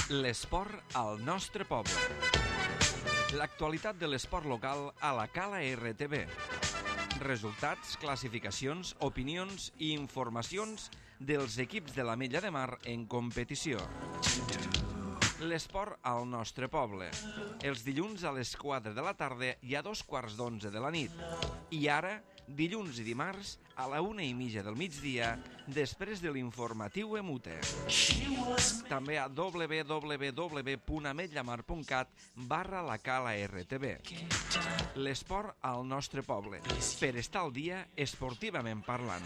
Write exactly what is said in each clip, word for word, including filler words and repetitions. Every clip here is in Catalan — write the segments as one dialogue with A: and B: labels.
A: L'esport al nostre poble. L'actualitat de l'esport local a la Cala R T V. Resultats, classificacions, opinions i informacions dels equips de l'Ametlla de Mar en competició. L'esport al nostre poble. Els dilluns a les quatre de la tarda i a dos quarts d'onze de la nit. I ara, dilluns i dimarts, a la una i mitja del migdia, després de l'informatiu Emute. També a w w w punt ametllamar punt cat barra la Cala R T V. L'esport al nostre poble. Per estar al dia, esportivament parlant.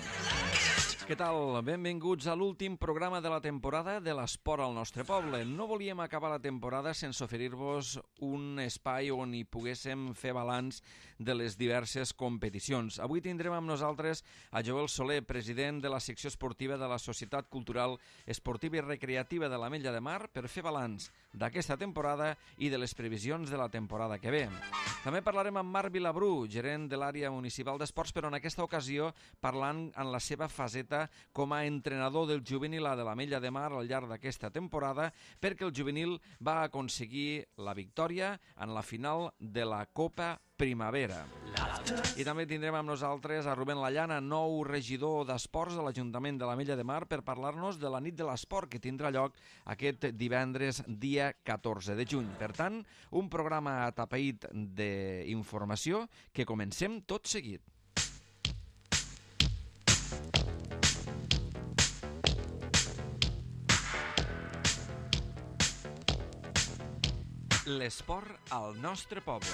A: Què tal? Benvinguts a l'últim programa de la temporada de l'esport al nostre poble. No volíem acabar la temporada sense oferir-vos un espai on hi poguéssim fer balanç de les diverses competicions. Avui tindrem amb nosaltres a Joel Soler, president de la secció esportiva de la Societat Cultural Esportiva i Recreativa de l'Ametlla de Mar, per fer balanç d'aquesta temporada i de les previsions de la temporada que ve. També parlarem amb Marc Vilabrú, gerent de l'àrea municipal d'esports, però en aquesta ocasió parlant en la seva faceta com a entrenador del juvenil A de l'Ametlla de Mar al llarg d'aquesta temporada, perquè el juvenil va aconseguir la victòria en la final de la Copa Primavera. I també tindrem amb nosaltres a Rubén Lallana, nou regidor d'Esports de l'Ajuntament de l'Ametlla de Mar, per parlar-nos de la nit de l'esport que tindrà lloc aquest divendres dia catorze de juny. Per tant, un programa atapeït d'informació que comencem tot seguit. L'esport al nostre poble.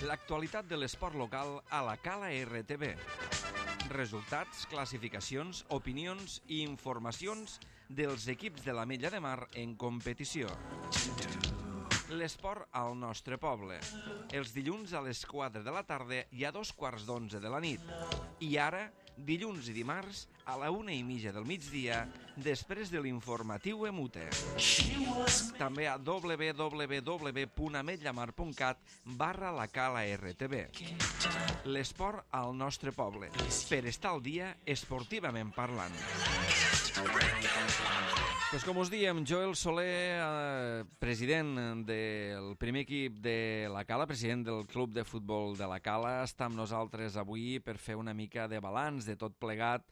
A: L'actualitat de l'esport local a la Cala R T V. Resultats, classificacions, opinions i informacions dels equips de l'Ametlla de Mar en competició. L'esport al nostre poble. Els dilluns a les quatre de la tarda i a dos quarts d'onze de la nit. I ara, dilluns i dimarts, a la una i mitja del migdia, després de l'informatiu Emute. També a w w w punt ametllamar punt cat barra la Cala R T V. L'esport al nostre poble. Per estar al dia, esportivament parlant. Pues com us diem, Joel Soler, eh, president del primer equip de la Cala, president del club de futbol de la Cala, està amb nosaltres avui per fer una mica de balanç de tot plegat,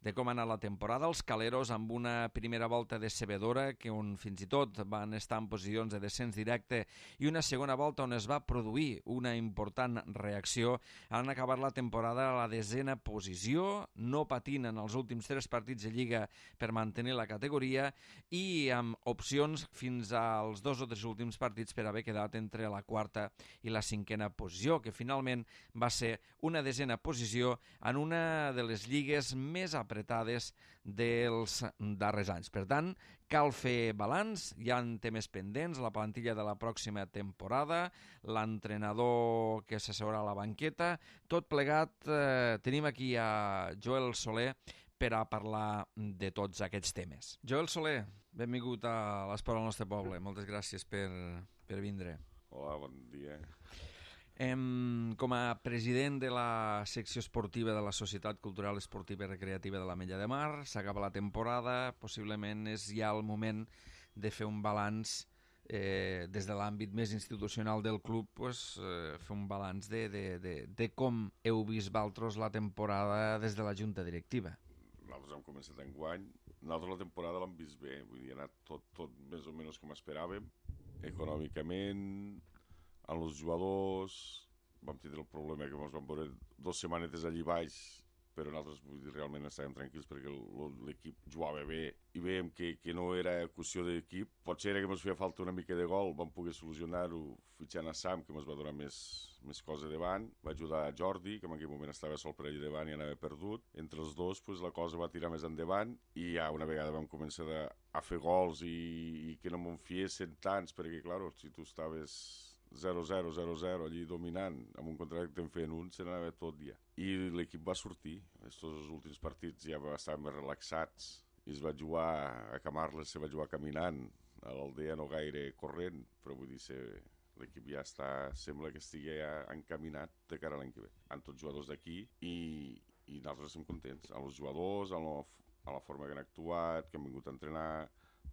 A: de com ha anat la temporada. Els caleros amb una primera volta decebedora, que on fins i tot van estar en posicions de descens directe, i una segona volta on es va produir una important reacció. Han acabat la temporada a la desena posició, no patint en els últims tres partits de Lliga per mantenir la categoria, i amb opcions fins als dos o tres últims partits per haver quedat entre la quarta i la cinquena posició, que finalment va ser una desena posició en una de les lligues més apretades dels darrers anys. Per tant, cal fer balanç, hi ha temes pendents, la plantilla de la pròxima temporada, l'entrenador que s'asseurà a la banqueta, tot plegat. Eh, tenim aquí a Joel Soler per a parlar de tots aquests temes. Joel Soler, benvingut a l'Esport al nostre poble. Moltes gràcies per, per vindre.
B: Hola, bon dia.
A: Em, com a president de la secció esportiva de la Societat Cultural Esportiva i Recreativa de l'Ametlla de Mar, s'acaba la temporada, possiblement és ja el moment de fer un balanç eh, des de l'àmbit més institucional del club, pues, eh, fer un balanç de, de, de, de com heu vist vosaltres la temporada des de la Junta Directiva.
B: Nosaltres hem començat enguany. Nosaltres la temporada l'hem vist bé, vull dir, ha anat tot, tot més o menys com esperàvem. Econòmicament, amb els jugadors, vam tindre el problema que ens vam veure dues setmanetes allí baix, però nosaltres, vull dir, realment estàvem tranquils perquè l'equip jugava bé i veiem que, que no era qüestió d'equip. Potser era que ens feia falta una mica de gol, vam poder solucionar-ho fitxant a Sam, que ens va donar més, més cosa davant. Va ajudar a Jordi, que en aquell moment estava sol per allà davant i anava perdut. Entre els dos, pues, la cosa va tirar més endavant i ja una vegada vam començar a, a fer gols i, i que no m'en fiessin tants, perquè, clar, si tu estaves zero zero, zero zero, allí dominant, amb un contracte que en feien un, se n'anava tot dia. I l'equip va sortir. Estos últims partits ja estàvem més relaxats i es va jugar a Camarles, se va jugar caminant, a l'Aldea no gaire corrent, però vull dir, se, l'equip ja està, sembla que estigui ja encaminat de cara a l'any que ve. Han tots jugadors d'aquí i, i nosaltres estem contents. Amb els jugadors, amb la, amb la forma que han actuat, que han vingut a entrenar,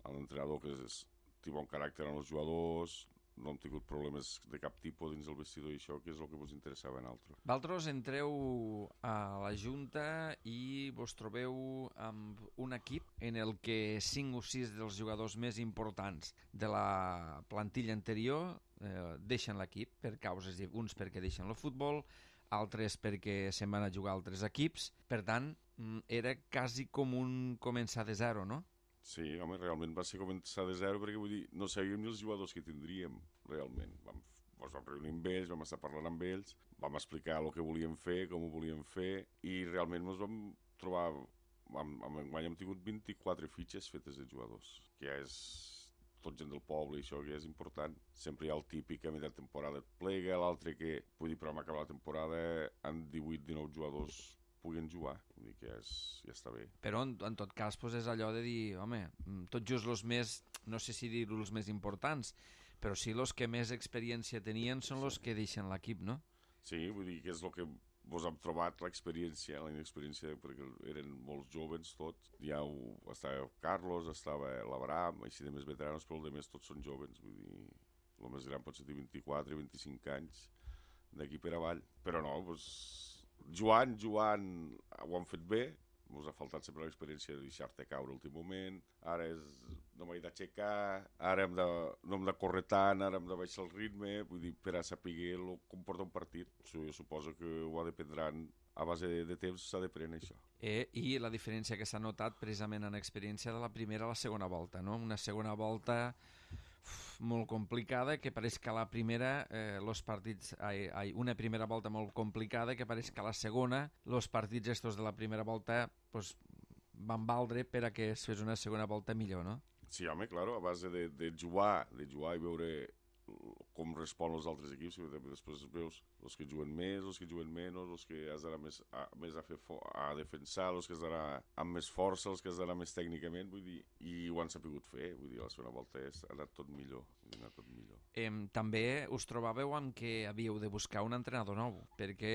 B: amb l'entrenador que és té bon caràcter en els jugadors, no hem tingut problemes de cap tipus dins el vestidor i això, que és el que ens interessava a nosaltres.
A: Valtros, entreu a la Junta i vos trobeu amb un equip en el que cinc o sis dels jugadors més importants de la plantilla anterior eh, deixen l'equip per causes, uns perquè deixen el futbol, altres perquè se'n van a jugar a altres equips. Per tant, era quasi com un començar de zero, no?
B: Sí, home, realment va ser començar de zero perquè, vull dir, no sabíem ni els jugadors que tindríem, realment. Vam, ens vam reunir amb ells, vam estar parlant amb ells, vam explicar el que volíem fer, com ho volíem fer, i realment ens vam trobar... Amb, amb enguany hem tingut vint-i-quatre fitxes fetes de jugadors, que ja és tot gent del poble i això que és important. Sempre hi ha el típic que a mitja temporada et plega, l'altre que, vull dir, però hem acabat la temporada amb divuit dinou jugadors puguen jugar, vull dir que ja, és, ja està bé.
A: Però en, en tot cas pues, és allò de dir, home, tot just els més, no sé si dir-ho els més importants, però sí els que més experiència tenien són els que deixen l'equip, no?
B: Sí, vull dir que és el que vos hem trobat, l'experiència, la inexperiència, perquè eren molts joves tots. Ja ho, estava Carlos, estava l'Abraham, així de més veteranos, però els altres tots són joves, vull dir, el més gran pot ser de vint-i-quatre, vint-i-cinc anys, d'aquí per avall. Però no, doncs... Joan, Joan, ho han fet bé, ens ha faltat sempre l'experiència de deixar-te caure l'últim moment, ara és, no m'he d'aixecar, ara hem de, no hem de córrer tant, ara hem de baixar el ritme, vull dir, per a saber el com porta un partit. So, jo suposo que ho dependran, a base de, de temps s'ha d'aprendre això.
A: Eh, I la diferència que s'ha notat precisament en experiència de la primera a la segona volta, no? Una segona volta... molt complicada, que pareix que a la primera eh, los partits, ai, ai, una primera volta molt complicada, que pareix que a la segona els partits estos de la primera volta pues, van valdre per a que es fes una segona volta millor, no?
B: Sí, home, claro, a base de, de jugar, de jugar i veure com respon els altres equips, i després veus els que juguen més, els que juguen menys, els que has d'anar més, a, més a, fer a defensar, els que has d'anar amb més força, els que has d'anar més tècnicament, vull dir, i ho han sapigut fer, vull dir, la segona volta és, ha anat tot millor, ha anat tot millor.
A: Eh, també us trobàveu amb que havíeu de buscar un entrenador nou, perquè,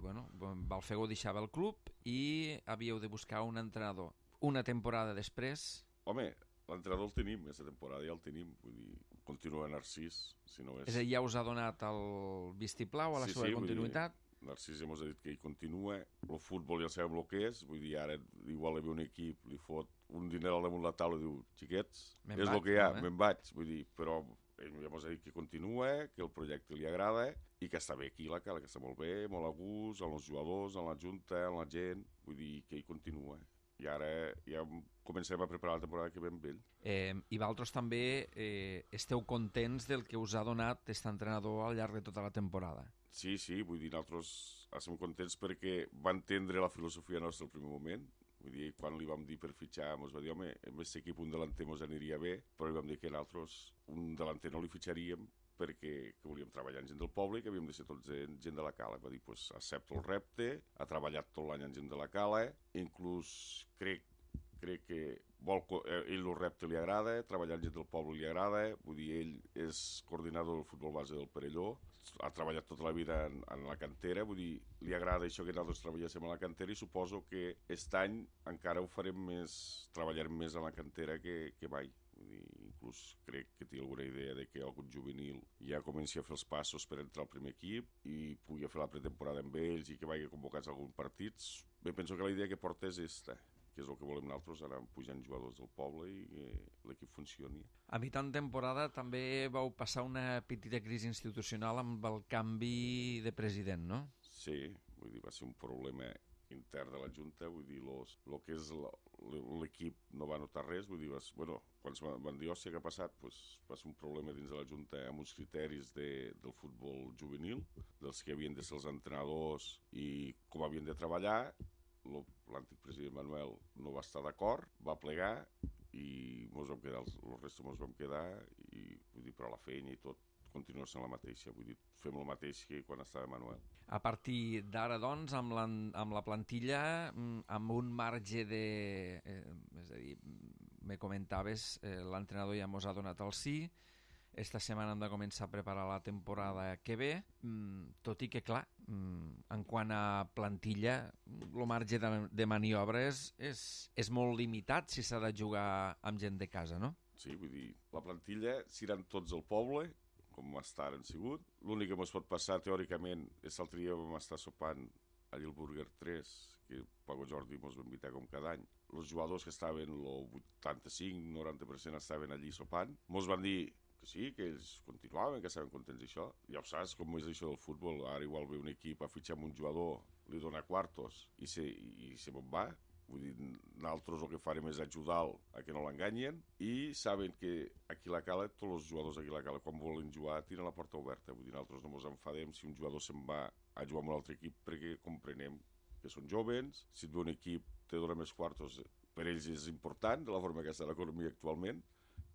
A: bueno, Balfego deixava el club i havíeu de buscar un entrenador. Una temporada després...
B: Home, l'entrenador el tenim, aquesta temporada ja el tenim, vull dir, continua Narcís, si no és...
A: És a dir, ja us ha donat el vistiplau a la
B: sí,
A: seva
B: sí,
A: continuïtat?
B: Dir, Narcís ja ens ha dit que hi continua, el futbol ja sabem el que és, vull dir, ara igual hi ve un equip, li fot un diner al damunt la taula i diu, xiquets, és el que hi ha, me'n vaig, vull dir, però ell ja ens ha dit que continua, que el projecte li agrada i que està bé aquí la cala, que està molt bé, molt a gust, amb els jugadors, amb la junta, amb la gent, vull dir que hi continua. I ara ja comencem a preparar la temporada que ve amb ell.
A: Eh, I vosaltres també eh, esteu contents del que us ha donat aquest entrenador al llarg de tota la temporada?
B: Sí, sí, vull dir, nosaltres estem contents perquè va entendre la filosofia nostra al primer moment. Vull dir, quan li vam dir per fitxar, ens va dir, home, en aquest equip un delanter ens aniria bé, però li vam dir que nosaltres un delanter no li fitxaríem perquè que volíem treballar amb gent del poble i que havíem de ser tots gent de la cala. Va dir, pues, accepto el repte, ha treballat tot l'any amb gent de la cala, inclús crec, crec que vol, eh, ell el repte li agrada, treballar amb gent del poble li agrada, vull dir, ell és coordinador del futbol base del Perelló, ha treballat tota la vida en, en la cantera, vull dir, li agrada això que nosaltres treballéssim a la cantera i suposo que aquest any encara ho farem més, treballarem més a la cantera que, que mai. Vull dir, inclús crec que té alguna idea de que algun juvenil ja comenci a fer els passos per entrar al primer equip i pugui fer la pretemporada amb ells i que vagi convocats a alguns partits. Bé, penso que la idea que porta és esta, que és el que volem nosaltres, anar pujant jugadors del poble i que l'equip funcioni.
A: A mitjan temporada també vau passar una petita crisi institucional amb el canvi de president, no?
B: Sí, vull dir, va ser un problema intern de la Junta, vull dir, los, lo que és l'equip no va notar res, vull dir, vas, bueno, quan es van dir, hòstia, què ha passat? Pues, va ser un problema dins de la Junta amb uns criteris de, del futbol juvenil, dels que havien de ser els entrenadors i com havien de treballar. L'antic president Manuel no va estar d'acord, va plegar i mos vam quedar, el resto mos vam quedar i, vull dir, però la feina i tot continua sent la mateixa, vull dir, fem el mateix que quan estava Manuel.
A: A partir d'ara, doncs, amb la, amb la plantilla, amb un marge de... Eh, és a dir, me comentaves, eh, l'entrenador ja mos ha donat el sí, esta setmana hem de començar a preparar la temporada que ve, tot i que, clar, en quant a plantilla, el marge de, de maniobra és, és, és molt limitat si s'ha de jugar amb gent de casa, no?
B: Sí, vull dir, la plantilla seran tots al poble, com estar han sigut. L'únic que ens pot passar, teòricament, és l'altre dia vam estar sopant allà al Burger tres, que Paco Jordi ens va invitar com cada any. Els jugadors que estaven, el vuitanta-cinc noranta per cent estaven allí sopant, ens van dir que sí, que ells continuaven, que estaven contents d'això. Ja ho saps com és això del futbol, ara igual ve un equip a fitxar amb un jugador, li dona quartos i se, i, i se me'n va. Vull dir, nosaltres el que farem és ajudar-lo a que no l'enganyen i saben que aquí a la Cala, tots els jugadors aquí a la Cala, quan volen jugar, tiren la porta oberta. Vull dir, nosaltres no ens enfadem si un jugador se'n va a jugar amb un altre equip perquè comprenem que són jovens, si et ve un equip te dona més quartos, per ells és important, de la forma que està l'economia actualment,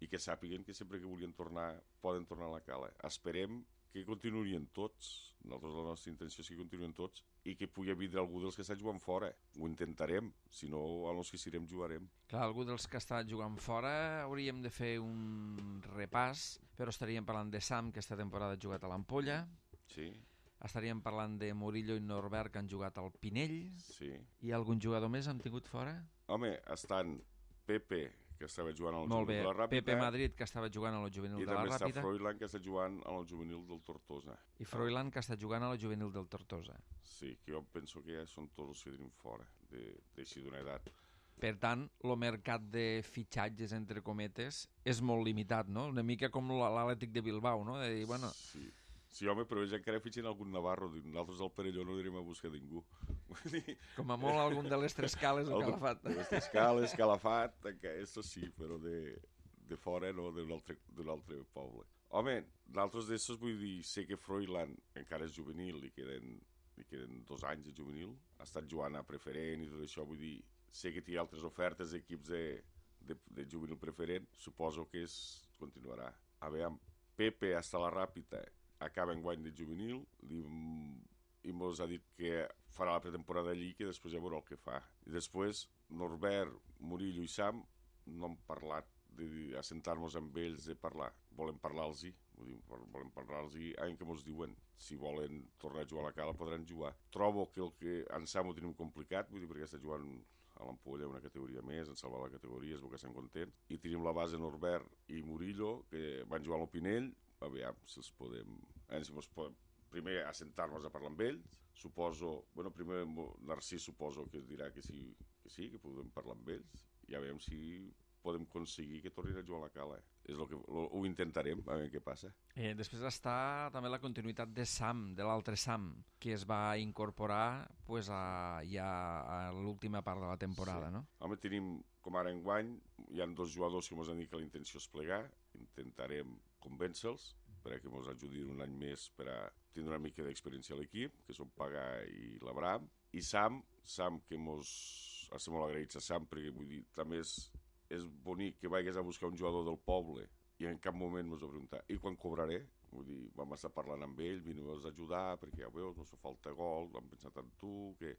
B: i que sàpiguen que sempre que vulguin tornar, poden tornar a la Cala. Esperem que continuïn tots, nosaltres la nostra intenció és que continuïn tots i que pugui vindre algú dels que està jugant fora. Ho intentarem, si no, els que serem jugarem.
A: Clar, algú dels que està jugant fora hauríem de fer un repàs, però estaríem parlant de Sam, que esta temporada ha jugat a l'Ampolla.
B: Sí.
A: Estaríem parlant de Murillo i Norbert, que han jugat al Pinell.
B: Sí.
A: I algun jugador més han tingut fora?
B: Home, estan Pepe, que estava jugant al
A: Molt bé,
B: juvenil de la Ràpita.
A: Pepe Madrid, que estava jugant a la juvenil
B: i
A: de la
B: també
A: Ràpita.
B: està Froilán, que està jugant a la juvenil del Tortosa.
A: I Froilán, que està jugant a la juvenil del Tortosa.
B: Sí, que jo penso que ja són tots els que tenim fora, d'així d'una edat.
A: Per tant, el mercat de fitxatges, entre cometes, és molt limitat, no? Una mica com l'Atlètic de Bilbao, no? De dir, bueno...
B: Sí. Sí, home, però ells encara fitxen algun navarro. Nosaltres al Perelló no anirem a buscar ningú.
A: Com a molt algun de les tres cales o Calafat.
B: De les tres cales, Calafat, això sí, però de, de fora no, d'un altre, altre poble. Home, d'altres d'estos vull dir, sé que Froilán encara és juvenil, li queden, li queden dos anys de juvenil, ha estat jugant a preferent i tot això, vull dir, sé que té altres ofertes d'equips de, de, de juvenil preferent, suposo que es continuarà. A veure, Pepe hasta la Ràpita acaba en guany de juvenil li, i mos ha dit que farà la pretemporada allí, que després ja veurà el que fa. I després Norbert, Murillo i Sam no han parlat d'assentar-nos amb ells, de parlar. Volem parlar-los-hi, volem parlar-los-hi en què mos diuen. Si volen tornar a jugar a la Cala podran jugar. Trobo que el que en Sam ho tenim complicat, vull dir, perquè està jugant a l'Ampolla una categoria més, en salvar la categoria, és bo que estem contents. I tenim la base Norbert i Murillo, que van jugar a l'Opinell, a veure si els podem... Eh, si ens podem primer assentar-nos a parlar amb ells, suposo... Bueno, primer Narcís suposo que es dirà que sí, que sí, que podem parlar amb ells, i a veure si podem aconseguir que tornin a jugar a la Cala. És lo que, lo, ho intentarem, a veure què passa.
A: Eh, després està també la continuïtat de Sam, de l'altre Sam, que es va incorporar pues, a, ja a l'última part de la temporada, sí. No?
B: Home, tenim, com ara enguany, hi ha dos jugadors que ens han dit que la intenció és plegar, intentarem convèncer-los perquè ens ajudin un any més per a tindre una mica d'experiència a l'equip, que són Pagà i l'Abram. I Sam, Sam que ens estem molt agraïts a Sam, perquè vull dir, també és, és bonic que vagis a buscar un jugador del poble i en cap moment ens va preguntar i quan cobraré? Vull dir, vam estar parlant amb ell, veniu-nos a ajudar perquè ja veus, no fa falta gol, vam pensar en tu, que...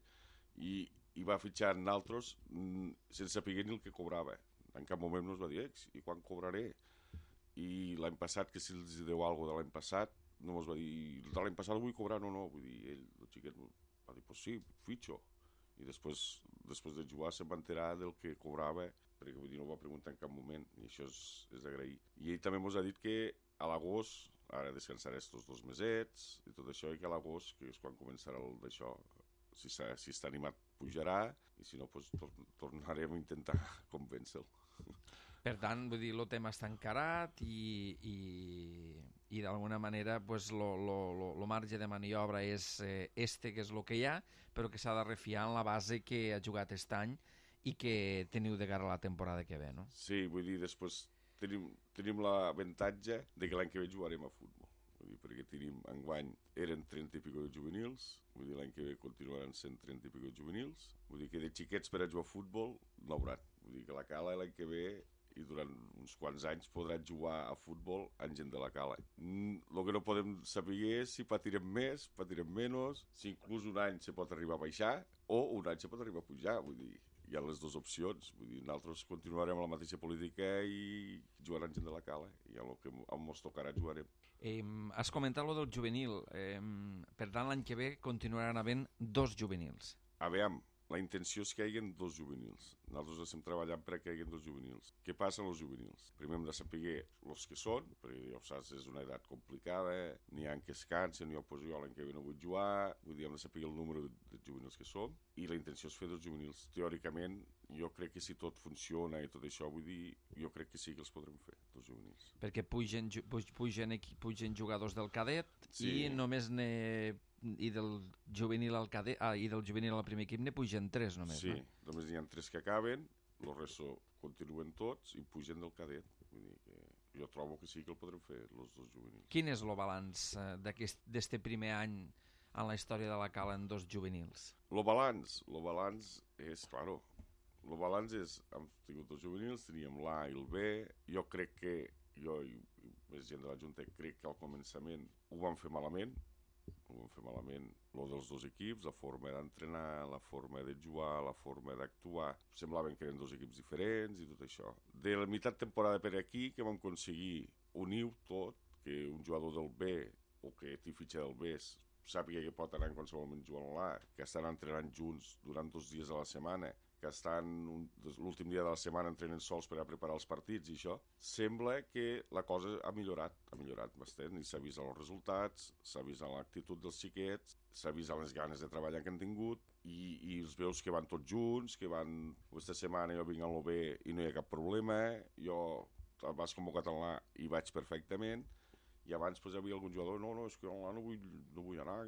B: I, i va fitxar en altres sense saber ni el que cobrava. En cap moment ens va dir, i quan cobraré? I l'any passat, que si els deu alguna cosa de l'any passat, no ens va dir, de l'any passat vull cobrar, no, no, vull dir, ell, el xiquet, va dir, pues sí, fitxo. I després, després de jugar se'n va enterar del que cobrava, perquè vull dir, no ho va preguntar en cap moment, i això és, és d'agrair. I ell també ens ha dit que a l'agost, ara descansaré estos dos mesets, i tot això, i que a l'agost, que és quan començarà el d'això, si, si està animat pujarà, i si no, pues, tor tornarem a intentar convèncer-lo.
A: Per tant, vull dir, el tema està encarat i, i, i d'alguna manera pues, lo, lo, lo, lo marge de maniobra és eh, este, que és el que hi ha, però que s'ha de refiar en la base que ha jugat aquest any i que teniu de cara a la temporada que ve, no?
B: Sí, vull dir, després tenim, tenim l'avantatge de que l'any que ve jugarem a futbol. Vull dir, perquè tenim, enguany, eren trenta i pico de juvenils, vull dir, l'any que ve continuaran sent trenta i pico de juvenils, vull dir que de xiquets per a jugar a futbol no hauran. Vull dir que la Cala l'any que ve i durant uns quants anys podran jugar a futbol amb gent de la Cala. El que no podem saber és si patirem més, patirem menys, si inclús un any se pot arribar a baixar o un any se pot arribar a pujar. Vull dir, hi ha les dues opcions. Vull dir, nosaltres continuarem la mateixa política i jugarem gent de la Cala. I el que ens tocarà jugarem.
A: Eh, has comentat lo del juvenil. Eh, per tant, l'any que ve continuaran havent dos juvenils.
B: A veure, la intenció és que hi hagi dos juvenils. Nosaltres estem treballant perquè hi hagi dos juvenils. Què passa amb els juvenils? Primer hem de saber els que són, perquè ja ho saps, és una edat complicada, n'hi ha que es cansen, jo, pues, jo l'any que ve no vull jugar, vull dir, hem de saber el número de, de juvenils que som, i la intenció és fer dos juvenils. Teòricament, jo crec que si tot funciona i tot això, vull dir, jo crec que sí que els podrem fer, dos juvenils.
A: Perquè pugen, pugen, pugen jugadors del cadet sí. i només ne... i del juvenil al cadet, ah, i del juvenil al primer equip ne pugen tres només,
B: sí,
A: no?
B: Sí, només n'hi ha tres que acaben, el resto continuen tots i pugen del cadet. Vull dir que jo trobo que sí que el podrem fer, els dos juvenils.
A: Quin és el balanç eh, d'aquest primer any en la història de la Cala en dos juvenils?
B: El balanç, el balanç és, claro, el balanç és, hem tingut dos juvenils, teníem l'A i el B, jo crec que, jo i més gent de la Junta, crec que al començament ho vam fer malament, ho vam fer malament, el dels dos equips, la forma d'entrenar, la forma de jugar, la forma d'actuar, semblaven que eren dos equips diferents i tot això. De la meitat temporada per aquí que vam aconseguir unir tot, que un jugador del B o que té fitxa del B sàpiga que pot anar en qualsevol moment jugant a l'A, que estan entrenant junts durant dos dies a la setmana, que estan l'últim dia de la setmana entrenen sols per a preparar els partits i això, sembla que la cosa ha millorat, ha millorat bastant, i s'ha vist els resultats, s'ha vist l'actitud dels xiquets, s'ha vist les ganes de treballar que han tingut, i, i els veus que van tots junts, que van, aquesta setmana jo vinc a l'O B i no hi ha cap problema, jo vas convocat a l'A i vaig perfectament, i abans pues, hi havia algun jugador, no, no, és que a l'A no vull, no vull anar,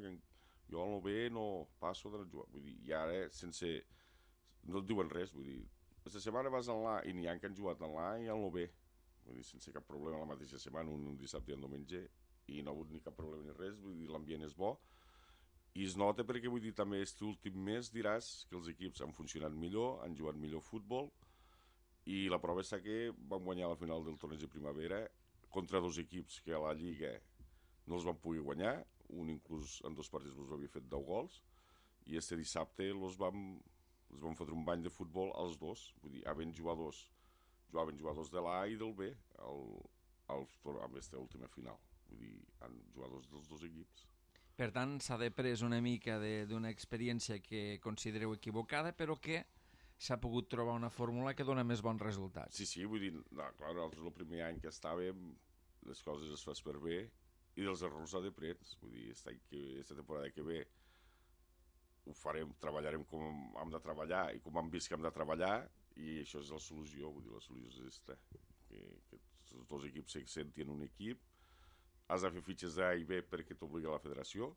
B: jo a l'O B no passo de jugar, vull dir, i ara sense... no et diuen res, vull dir, aquesta setmana vas a l'A i n'hi ha que han jugat a l'A i a l'O B, vull dir, sense cap problema la mateixa setmana, un, un dissabte i un diumenge, i no ha hagut ni cap problema ni res, vull dir, l'ambient és bo, i es nota perquè, vull dir, també aquest últim mes diràs que els equips han funcionat millor, han jugat millor futbol, i la prova és que vam guanyar la final del torneig de primavera contra dos equips que a la Lliga no els van poder guanyar, un inclús en dos partits els havia fet deu gols, i este dissabte els vam... els vam fotre un bany de futbol als dos, vull dir, havent jugadors, jugaven jugadors de l'A i del B al, al, amb aquesta última final, vull dir, han jugadors dels dos equips.
A: Per tant, s'ha després una mica d'una experiència que considereu equivocada, però que s'ha pogut trobar una fórmula que dona més bons resultats.
B: Sí, sí, vull dir, no, clar, nosaltres el primer any que estàvem, les coses es fas per bé, i dels errors s'aprens, vull dir, aquesta temporada que ve ho farem, treballarem com hem de treballar i com hem vist que hem de treballar, i això és la solució, vull dir, la solució és aquesta, que, que els dos equips se sentin un equip, has de fer fitxes d'A i B perquè t'obliga la federació,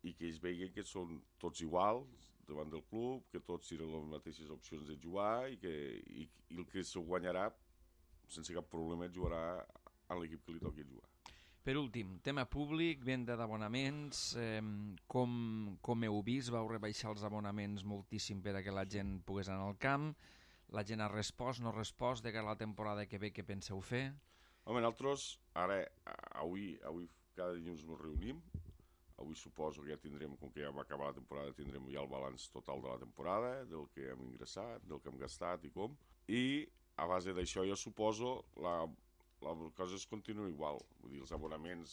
B: i que ells vegin que són tots iguals davant del club, que tots tenen les mateixes opcions de jugar, i que i, i el que s'ho guanyarà sense cap problema jugarà a l'equip que li toqui jugar.
A: Per últim, tema públic, venda d'abonaments, eh, com, com heu vist, vau rebaixar els abonaments moltíssim per a que la gent pogués anar al camp, la gent ha respost, no ha respost, de cara a la temporada que ve, què penseu fer?
B: Home, nosaltres, ara, avui, avui cada dilluns ens reunim, avui suposo que ja tindrem, com que ja va acabar la temporada, tindrem ja el balanç total de la temporada, del que hem ingressat, del que hem gastat i com, i a base d'això jo suposo la... la cosa es continua igual, vull dir, els abonaments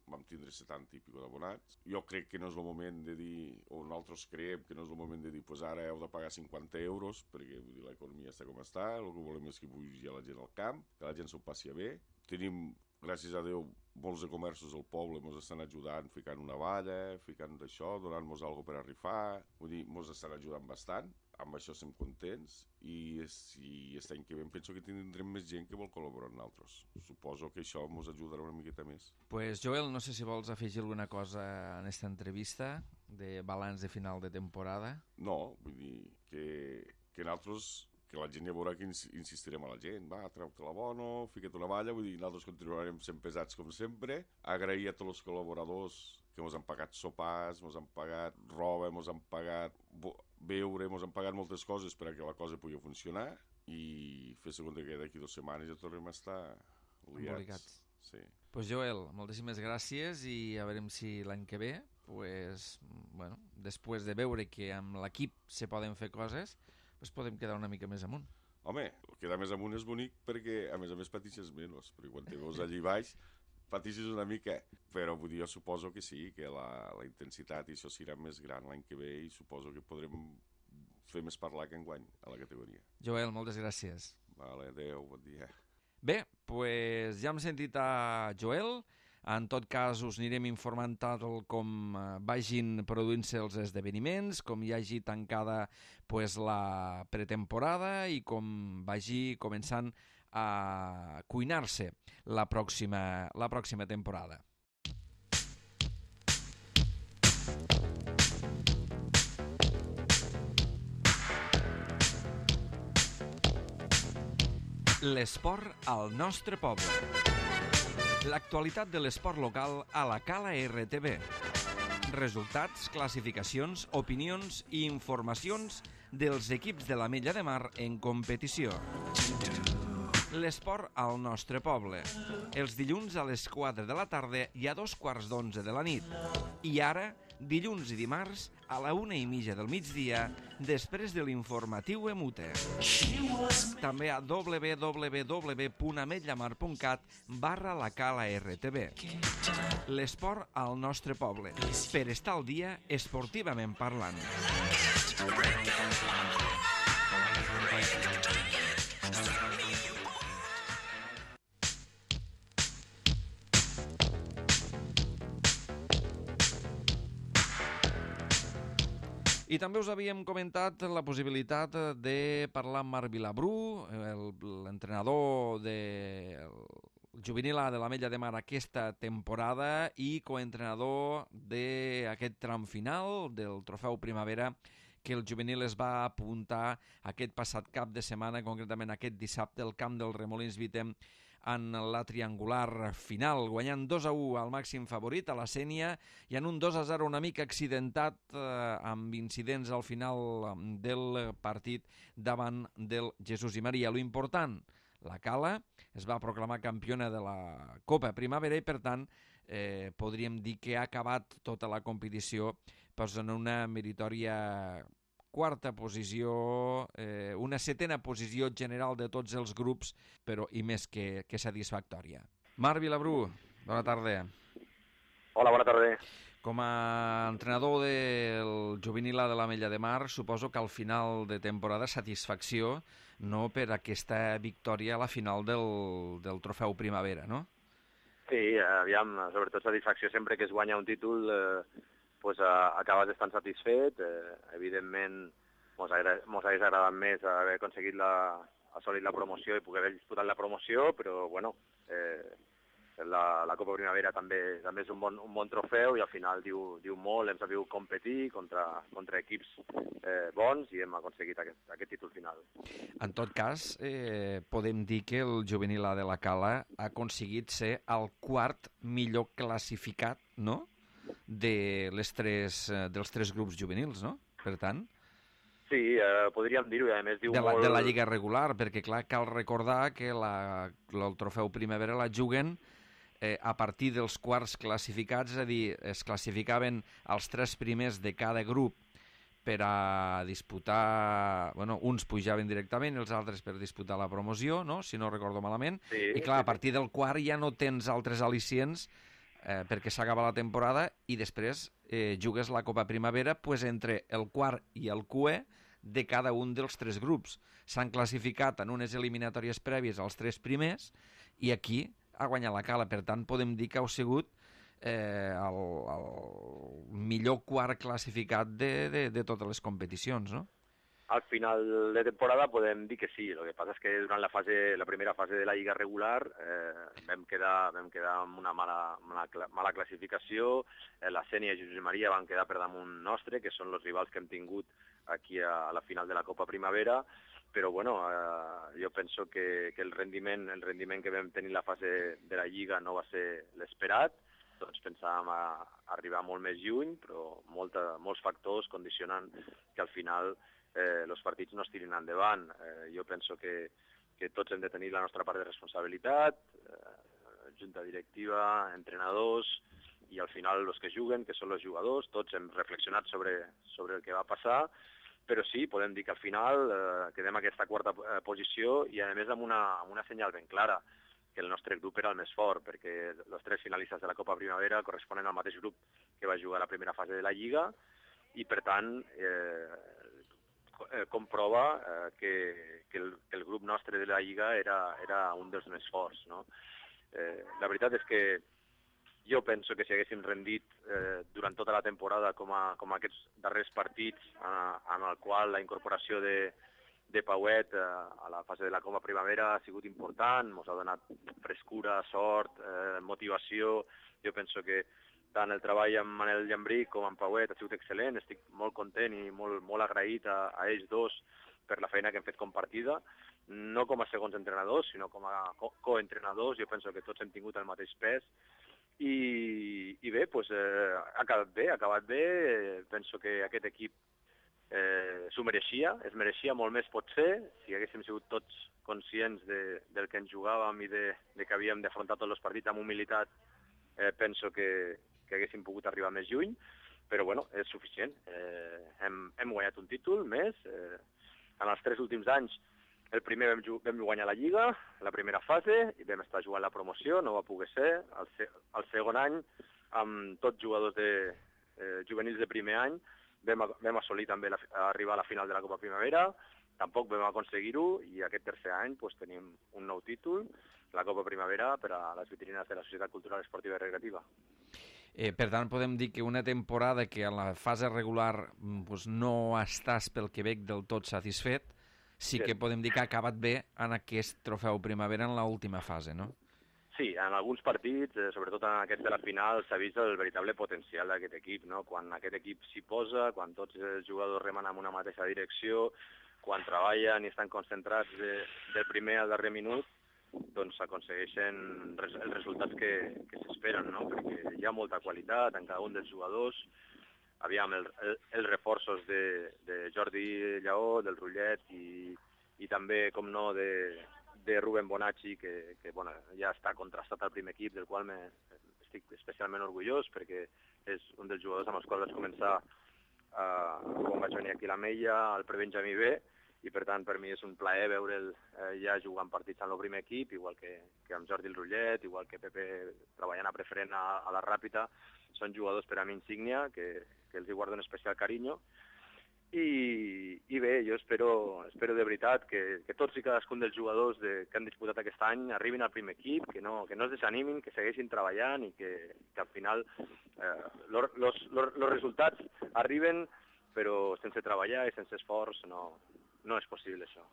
B: vam tindre setanta i pico d'abonats, jo crec que no és el moment de dir, o nosaltres creiem que no és el moment de dir, pues ara heu de pagar cinquanta euros, perquè vull dir, l'economia està com està, el que volem és que pugi la gent al camp, que la gent s'ho passi bé, tenim, gràcies a Déu, molts de comerços del poble ens estan ajudant, ficant una valla, ficant d'això, donant-nos alguna per a rifar, vull dir, ens estan ajudant bastant, amb això estem contents, i aquest any que ve penso que tindrem més gent que vol col·laborar amb nosaltres. Suposo que això ens ajudarà una miqueta més.
A: Pues Joel, no sé si vols afegir alguna cosa en aquesta entrevista de balanç de final de temporada.
B: No, vull dir que, que nosaltres, que la gent ja veurà que insistirem a la gent, va, treu-te la bono, fica't una valla, vull dir, nosaltres continuarem sent pesats com sempre, agrair a tots els col·laboradors que ens han pagat sopars, ens han pagat roba, ens han pagat beure, ens han pagat moltes coses per a que la cosa pugui funcionar, i fer segons que d'aquí dues setmanes ja tornem a estar liats. Sí.
A: Pues Joel, moltíssimes gràcies, i a veure si l'any que ve, pues, bueno, després de veure que amb l'equip se poden fer coses, pues podem quedar una mica més amunt.
B: Home, quedar més amunt és bonic perquè a més a més patixes menys, perquè quan te veus allí baix patixes una mica, però vull dir, jo suposo que sí, que la, la intensitat i això serà més gran l'any que ve, i suposo que podrem fer més parlar que enguany a la categoria.
A: Joel, moltes gràcies.
B: Vale, adeu, bon dia.
A: Bé, doncs ja hem sentit a Joel. En tot cas, us anirem informant tal com vagin produint-se els esdeveniments, com hi hagi tancada pues, la pretemporada i com vagi començant a cuinar-se la pròxima, la pròxima temporada. L'esport al nostre poble. L'actualitat de l'esport local a la Cala R T B. Resultats, classificacions, opinions i informacions dels equips de l'Ametlla de Mar en competició. L'esport al nostre poble. Els dilluns a les quatre de la tarda i a dos quarts d'onze de la nit. I ara, dilluns i dimarts, a la una i mitja del migdia, després de l'informatiu Emute. També a w w w punt ametllamar punt cat barra la Cala R T B. L'esport al nostre poble. Per estar al dia, esportivament parlant. I també us havíem comentat la possibilitat de parlar amb Marc Vilabrú, l'entrenador del juvenil A de l'Ametlla de Mar aquesta temporada i coentrenador d'aquest tram final del Trofeu Primavera que el juvenil es va apuntar aquest passat cap de setmana, concretament aquest dissabte, al camp del Remolins Vitem, en la triangular final, guanyant dos a u al màxim favorit, a la Sénia, i en un dos a zero una mica accidentat eh, amb incidents al final del partit davant del Jesús i Maria. Lo important, la Cala es va proclamar campiona de la Copa Primavera i, per tant, eh, podríem dir que ha acabat tota la competició pues, en una meritòria quarta posició, eh, una setena posició general de tots els grups, però i més que, que satisfactòria. Marc Vilabrú, bona tarda.
C: Hola, bona tarda.
A: Com a entrenador del juvenil A de l'Ametlla de Mar, suposo que al final de temporada satisfacció, no, per aquesta victòria a la final del, del Trofeu Primavera, no?
C: Sí, aviam, sobretot satisfacció sempre que es guanya un títol, eh, pues, eh, acabes estant satisfet. Eh, evidentment, mos hagués agradat més haver aconseguit la, assolit la promoció i poder haver disputat la promoció, però, bueno, eh, la, la Copa Primavera també, també és un bon, un bon trofeu i al final diu, diu molt, hem sabut competir contra, contra equips eh, bons i hem aconseguit aquest, aquest títol final.
A: En tot cas, eh, podem dir que el juvenil A de la Cala ha aconseguit ser el quart millor classificat, no?, de les tres, dels tres grups juvenils, no? Per tant...
C: Sí, eh, podríem dir-ho, i a més diu
A: de la,
C: molt...
A: De la Lliga regular, perquè clar, cal recordar que la, el Trofeu Primavera la juguen eh, a partir dels quarts classificats, és a dir, es classificaven els tres primers de cada grup per a disputar... Bueno, uns pujaven directament i els altres per disputar la promoció, no?, si no recordo malament.
C: Sí,
A: I clar,
C: sí,
A: a partir del quart ja no tens altres al·licients eh, perquè s'acaba la temporada i després eh, jugues la Copa Primavera pues, entre el quart i el Q E de cada un dels tres grups. S'han classificat en unes eliminatòries prèvies als tres primers i aquí ha guanyat la Cala. Per tant, podem dir que heu sigut eh, el, el millor quart classificat de, de, de totes les competicions, no?
C: Al final de temporada podem dir que sí. El que passa és que durant la, fase, la primera fase de la Lliga regular eh, vam, quedar, vam quedar amb una mala, mala, mala classificació. Eh, la Sénia i Jesús i Maria van quedar per damunt nostre, que són els rivals que hem tingut aquí a, a la final de la Copa Primavera. Però bueno, eh, jo penso que, que el, rendiment, el rendiment que vam tenir en la fase de la Lliga no va ser l'esperat. Tots pensàvem a, a arribar molt més lluny, però molta, molts factors condicionen que al final eh, els partits no es tirin endavant. Eh, jo penso que, que tots hem de tenir la nostra part de responsabilitat, eh, junta directiva, entrenadors, i al final els que juguen, que són els jugadors, tots hem reflexionat sobre, sobre el que va passar, però sí, podem dir que al final eh, quedem a aquesta quarta eh, posició i a més amb una, amb una senyal ben clara, que el nostre grup era el més fort, perquè els tres finalistes de la Copa Primavera corresponen al mateix grup que va jugar a la primera fase de la Lliga, i per tant, eh, eh, comprova eh, que, que, el, que el grup nostre de la Lliga era, era un dels més forts, no? Eh, la veritat és que jo penso que si haguéssim rendit eh, durant tota la temporada com, a, com a aquests darrers partits eh, en el qual la incorporació de, de Pauet eh, a la fase de la Copa Primavera ha sigut important, ens ha donat frescura, sort, eh, motivació. Jo penso que tant el treball amb Manel Llambrí com amb Pauet ha sigut excel·lent, estic molt content i molt, molt agraït a, a ells dos per la feina que hem fet compartida, no com a segons entrenadors, sinó com a co coentrenadors. Jo penso que tots hem tingut el mateix pes i, i bé, doncs, eh, ha acabat bé, ha acabat bé, eh, penso que aquest equip eh, s'ho mereixia, es mereixia molt més potser, si haguéssim sigut tots conscients de, del que ens jugàvem i de, de que havíem d'afrontar tots els partits amb humilitat, eh, penso que, que haguéssim pogut arribar més lluny, però bueno, és suficient. Eh, hem, hem guanyat un títol més. Eh, en els tres últims anys, el primer vam, vam guanyar la Lliga, la primera fase, i vam estar jugant la promoció, no va poder ser. El, se el segon any, amb tots jugadors de, eh, juvenils de primer any, vam, vam assolir també la, arribar a la final de la Copa Primavera, tampoc vam aconseguir-ho, i aquest tercer any pues, tenim un nou títol, la Copa Primavera, per a les vitrines de la Societat Cultural Esportiva i Recreativa.
A: Eh, per tant, podem dir que una temporada que a la fase regular pues, no estàs pel Quebec del tot satisfet, sí que podem dir que ha acabat bé en aquest trofeu Primavera en l'última fase, no?
C: Sí, en alguns partits, eh, sobretot en aquest de la final, s'ha vist el veritable potencial d'aquest equip, no? Quan aquest equip s'hi posa, quan tots els jugadors remen en una mateixa direcció, quan treballen i estan concentrats de, del primer al darrer minut, doncs s'aconsegueixen res, els resultats que, que s'esperen, no? Perquè hi ha molta qualitat en cada un dels jugadors. Aviam, el, el, els reforços de, de Jordi Lleó, del Rullet i, i també, com no, de, de Rubén Bonacci, que, que bueno, ja està contrastat al primer equip, del qual me, estic especialment orgullós, perquè és un dels jugadors amb els quals vaig començar eh, quan vaig venir aquí a l'Ametlla, al Prebenjamí B, i per tant per mi és un plaer veure'l eh, ja jugant partits en el primer equip, igual que, que amb Jordi el Rullet, igual que Pepe treballant a preferent a, a la Ràpita. Són jugadors per a mi insígnia, que, que els hi guardo un especial carinyo. I, i bé, jo espero, espero de veritat que, que tots i cadascun dels jugadors de, que han disputat aquest any arribin al primer equip, que no, que no es desanimin, que segueixin treballant i que, que al final eh, los, los, los, los resultats arriben, però sense treballar i sense esforç no, no és possible això.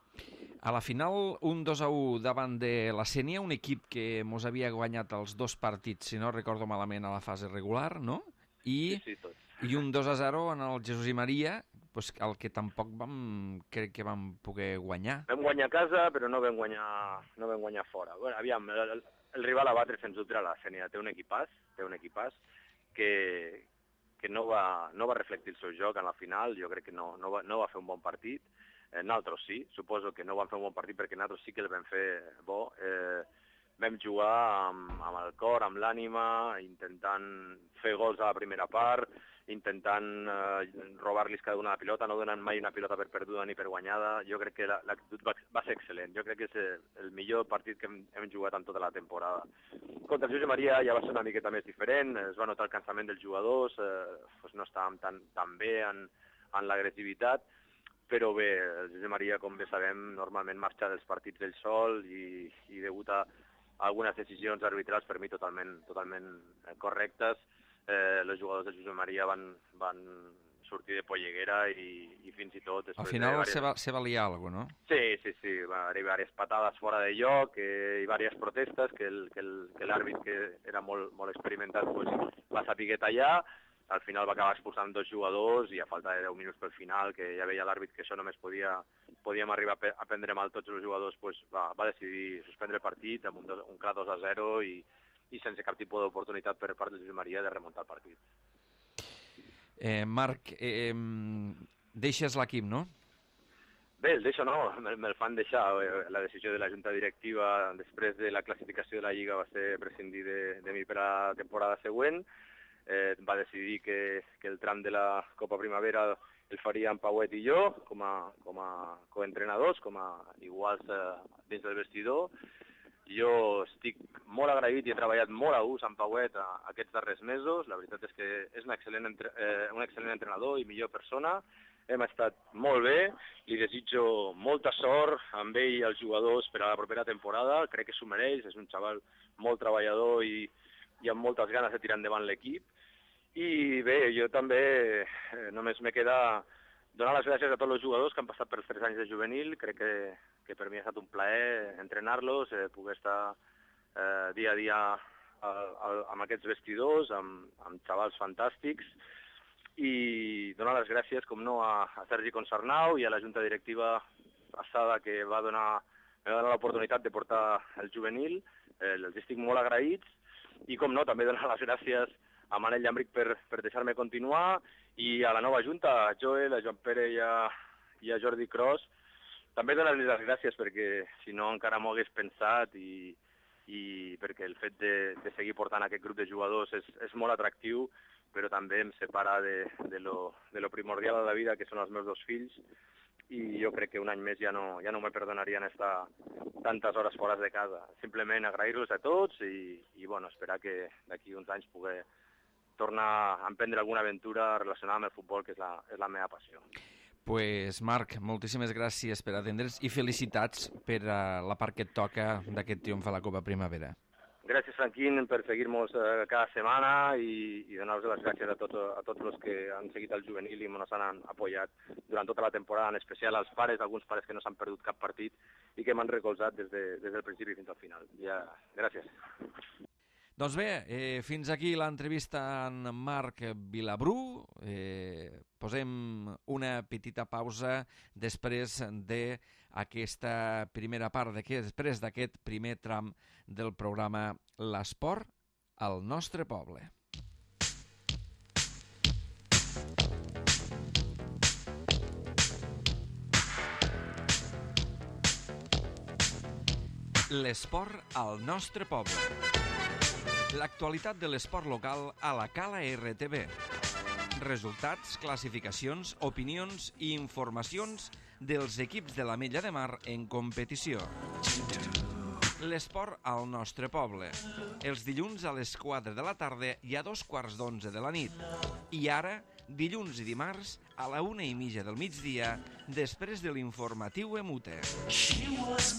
A: A la final, un dos a u davant de la Sénia, un equip que mos havia guanyat els dos partits, si no recordo malament, a la fase regular, no? I,
C: sí, sí, tot.
A: I un dos a zero en el Jesús i Maria, pues, el que tampoc vam, crec que vam poder guanyar.
C: Vam guanyar a casa, però no vam guanyar, no vam guanyar fora. Bueno, aviam, el, el, el rival a batre sens dubte era la Sénia. Té un equipàs, té un equipàs que, que no, va, no va reflectir el seu joc en la final. Jo crec que no, no, va, no va fer un bon partit. Eh, nosaltres sí, suposo que no vam fer un bon partit perquè nosaltres sí que el vam fer bo. Eh, vam jugar amb, amb el cor, amb l'ànima, intentant fer gols a la primera part, intentant eh, robar-los cada una la pilota, no donant mai una pilota per perduda ni per guanyada. Jo crec que l'actitud va, va ser excel·lent. Jo crec que és el, el millor partit que hem, hem jugat en tota la temporada. Contra el Josep Maria ja va ser una miqueta més diferent, es va notar el cansament dels jugadors, eh, doncs no estàvem tan, tan bé en, en l'agressivitat, però bé, el Josep Maria, com bé sabem, normalment marxa dels partits del sol i, i degut a algunes decisions arbitrals per mi totalment, totalment correctes, eh, els jugadors del Josep Maria van, van sortir de polleguera i, i fins i tot...
A: Al final de diverses... se valia alguna cosa, no?
C: Sí, sí, sí, va haver diverses patades fora de lloc eh, i diverses protestes que l'àrbit, que, que era molt, molt experimentat, pues, va saber tallar. Al final va acabar expulsant dos jugadors i a falta de deu minuts pel final, que ja veia l'àrbit que això només podia, podíem arribar a prendre mal tots els jugadors, pues va, va decidir suspendre el partit amb un, dos, un clar dos a zero i, i sense cap tipus d'oportunitat per part de Josep Maria de remuntar el partit.
A: Eh, Marc, eh, deixes l'equip, no?
C: Bé, el deixo no, me'l me fan deixar. La decisió de la junta directiva després de la classificació de la Lliga va ser prescindir de, de mi per a la temporada següent. Eh, va decidir que, que el tram de la Copa Primavera el faria en Pauet i jo, com a, com a coentrenadors, com a iguals eh, dins del vestidor. Jo estic molt agraït i he treballat molt a gust amb Pauet a, a aquests darrers mesos. La veritat és que és un excel·lent, entre, eh, un excel·lent entrenador i millor persona. hem estat molt bé, li desitjo molta sort amb ell i els jugadors per a la propera temporada, crec que s'ho mereix, és un xaval molt treballador i, i amb moltes ganes de tirar endavant l'equip. I bé, jo també eh, només me queda donar les gràcies a tots els jugadors que han passat pels tres anys de juvenil, crec que, que per mi ha estat un plaer entrenar-los, eh, poder estar eh, dia a dia al, al, amb aquests vestidors, amb, amb xavals fantàstics, i donar les gràcies, com no, a, a Sergi Consarnau i a la junta directiva passada que va donar, va donar l'oportunitat de portar el juvenil, eh, els estic molt agraïts, i com no, també donar les gràcies a Manel Llambric per, per deixar-me continuar, i a la nova junta, a Joel, a Joan Pere i a, i a Jordi Cros, també donar-los les gràcies perquè si no encara m'ho hagués pensat i, i perquè el fet de, de seguir portant aquest grup de jugadors és, és molt atractiu, però també em separa de, de, lo, de lo primordial a la vida, que són els meus dos fills, i jo crec que un any més ja no, ja no me perdonarien estar tantes hores fora de casa. Simplement agrair-los a tots i, i bueno, esperar que d'aquí uns anys pugui tornar a emprendre alguna aventura relacionada amb el futbol, que és la, és la meva passió.
A: Pues Marc, moltíssimes gràcies per atendre's i felicitats per uh, la part que et toca d'aquest triomf a la Copa Primavera.
C: Gràcies, Franquín, per seguir-nos eh, cada setmana i, i donar-vos les gràcies a tots, a tots els que han seguit el juvenil i ens han apoyat durant tota la temporada, en especial als pares, alguns pares que no s'han perdut cap partit i que m'han recolzat des, de, des del principi fins al final. Ja, gràcies.
A: Doncs bé, eh, fins aquí l'entrevista amb Marc Vilabrú. Eh, posem una petita pausa després d'aquesta primera part, després d'aquest primer tram del programa L'Esport al nostre poble. L'esport al nostre poble. L'actualitat de l'esport local a la Cala R T V. Resultats, classificacions, opinions i informacions dels equips de l'Ametlla de Mar en competició. L'esport al nostre poble. Els dilluns a les quatre de la tarda i a dos quarts d'onze de la nit. I ara, dilluns i dimarts, a la una i mitja del migdia, després de l'informatiu Emute.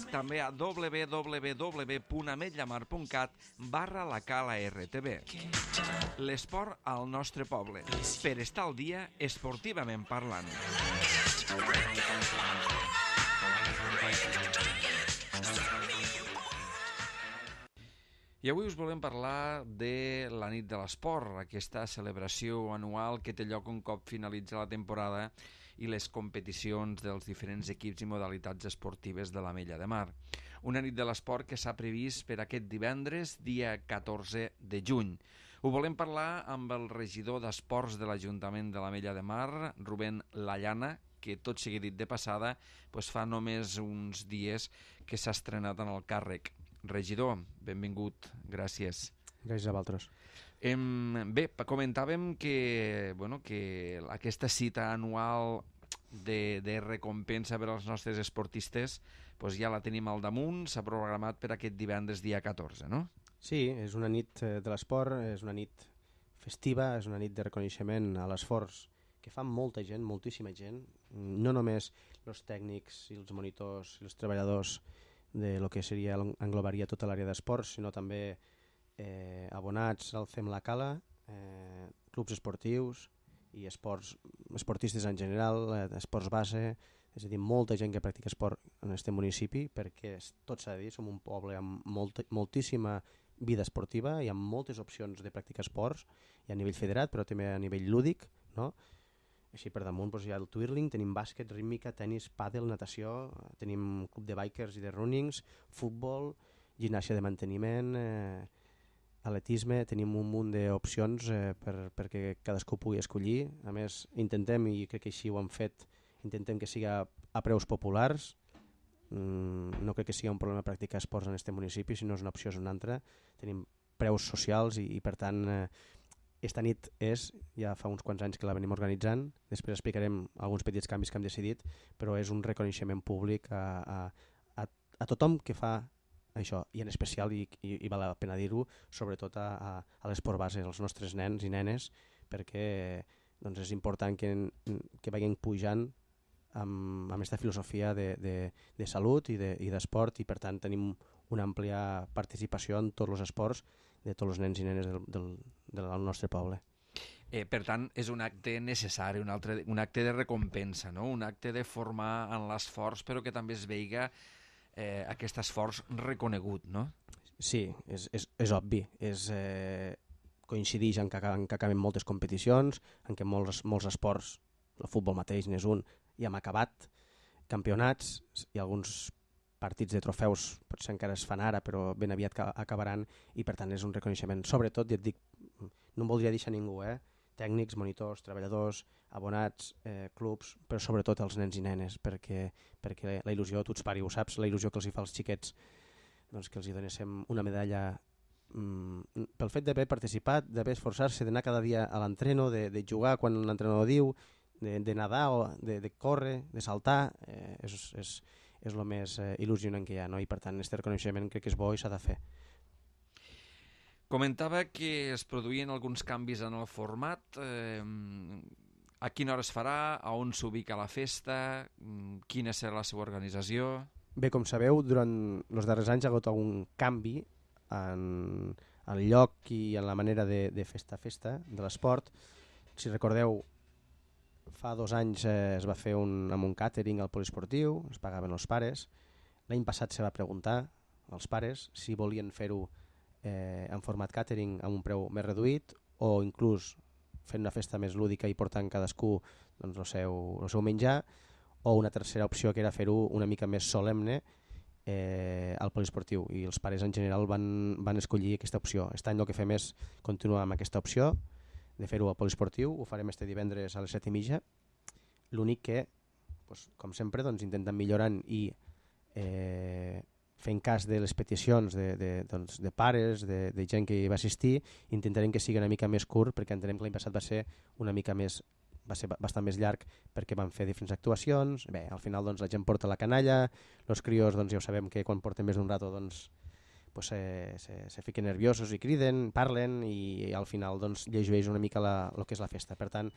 A: També a w w w punt ametllamar punt cat barra la Cala R T V. L'esport al nostre poble. Per estar al dia esportivament parlant. I avui us volem parlar de la nit de l'esport, aquesta celebració anual que té lloc un cop finalitza la temporada i les competicions dels diferents equips i modalitats esportives de l'Ametlla de Mar. Una nit de l'esport que s'ha previst per aquest divendres, dia catorze de juny. Ho volem parlar amb el regidor d'Esports de l'Ajuntament de l'Ametlla de Mar, Rubén Lallana, que tot sigui dit de passada, doncs fa només uns dies que s'ha estrenat en el càrrec. Regidor, benvingut, gràcies.
D: Gràcies a vosaltres.
A: Em, bé, comentàvem que, bueno, que aquesta cita anual de, de recompensa per als nostres esportistes doncs ja la tenim al damunt, s'ha programat per aquest divendres dia catorze, no?
D: Sí, és una nit de l'esport, és una nit festiva, és una nit de reconeixement a l'esforç que fa molta gent, moltíssima gent, no només els tècnics i els monitors i els treballadors de lo que seria, englobaria tota l'àrea d'esports, sinó també eh, abonats al Fem la Cala, eh, clubs esportius i esports, esportistes en general, eh, esports base, és a dir, molta gent que practica esport en aquest municipi, perquè tot s'ha de dir, som un poble amb molt, moltíssima vida esportiva i amb moltes opcions de practicar esports, i a nivell federat, però també a nivell lúdic, no? Així per damunt doncs, hi ha el twirling, tenim bàsquet, rítmica, tenis, pàdel, natació, tenim club de bikers i de runnings, futbol, gimnàsia de manteniment, eh, atletisme, tenim un munt d'opcions eh, per, perquè cadascú pugui escollir. A més, intentem, i crec que així ho hem fet, intentem que siga a preus populars. Mm, no crec que sigui un problema practicar esports en aquest municipi, si no és una opció és una altra. Tenim preus socials i, i per tant... Eh, Esta nit és, ja fa uns quants anys que la venim organitzant, després explicarem alguns petits canvis que hem decidit, però és un reconeixement públic a, a, a, a tothom que fa això, i en especial, i, i, i val la pena dir-ho, sobretot a, a, a l'esport base, als nostres nens i nenes, perquè doncs és important que, que vagin pujant amb, amb aquesta filosofia de, de, de salut i d'esport, de, i per tant tenim una àmplia participació en tots els esports de tots els nens i nenes del, del, del nostre poble.
A: Eh, per tant, és un acte necessari, un, altre, un acte de recompensa, no? Un acte de formar en l'esforç, però que també es veiga eh, aquest esforç reconegut, no?
D: Sí, és, és, és obvi. És, eh, coincideix en que, en que acaben moltes competicions, en què molts, molts esports, el futbol mateix n'és un, i hem acabat campionats i alguns partits de trofeus potser encara es fan ara, però ben aviat acabaran, i per tant és un reconeixement. Sobretot, ja et dic, no em voldria deixar ningú, eh? Tècnics, monitors, treballadors, abonats, eh, clubs, però sobretot els nens i nenes, perquè, perquè la il·lusió, tu ets pare, ho saps, la il·lusió que els hi fa als xiquets, doncs que els hi donéssim una medalla mm, pel fet d'haver participat, d'haver esforçar-se, d'anar cada dia a l'entreno, de, de jugar quan l'entrenador diu, de, de nedar, o de, de córrer, de saltar, eh, és, és, és el més eh, il·lusionant que hi ha, no? I per tant aquest reconeixement crec que és bo i s'ha de fer.
A: Comentava que es produïen alguns canvis en el format. Eh, a quina hora es farà? A on s'ubica la festa? Quina serà la seva organització?
D: Bé, com sabeu, durant els darrers anys hi ha hagut algun canvi en el lloc i en la manera de, de festa-festa de l'esport. Si recordeu, fa dos anys eh, es va fer un, amb un càtering al poliesportiu, es pagaven els pares. L'any passat se va preguntar als pares si volien fer-ho eh, en format càtering amb un preu més reduït o inclús fent una festa més lúdica i portant cadascú doncs, el, seu, el seu menjar, o una tercera opció que era fer-ho una mica més solemne eh, al poliesportiu, i els pares en general van, van escollir aquesta opció. Aquest any el que fem és continuar amb aquesta opció de fer-ho al poliesportiu, ho farem este divendres a les set i mitja, l'únic que, doncs, com sempre, doncs, intentem millorant i eh, fent cas de les peticions de, de, doncs, de pares, de, de gent que hi va assistir, intentarem que sigui una mica més curt, perquè entenem que l'any passat va ser una mica més, va ser bastant més llarg perquè van fer diferents actuacions. Bé, al final doncs, la gent porta la canalla, els crios doncs, ja ho sabem que quan porten més d'un rato doncs, pues, se, se, se fiquen nerviosos i criden, parlen, i, i al final doncs, llegeix una mica la, el que és la festa. Per tant,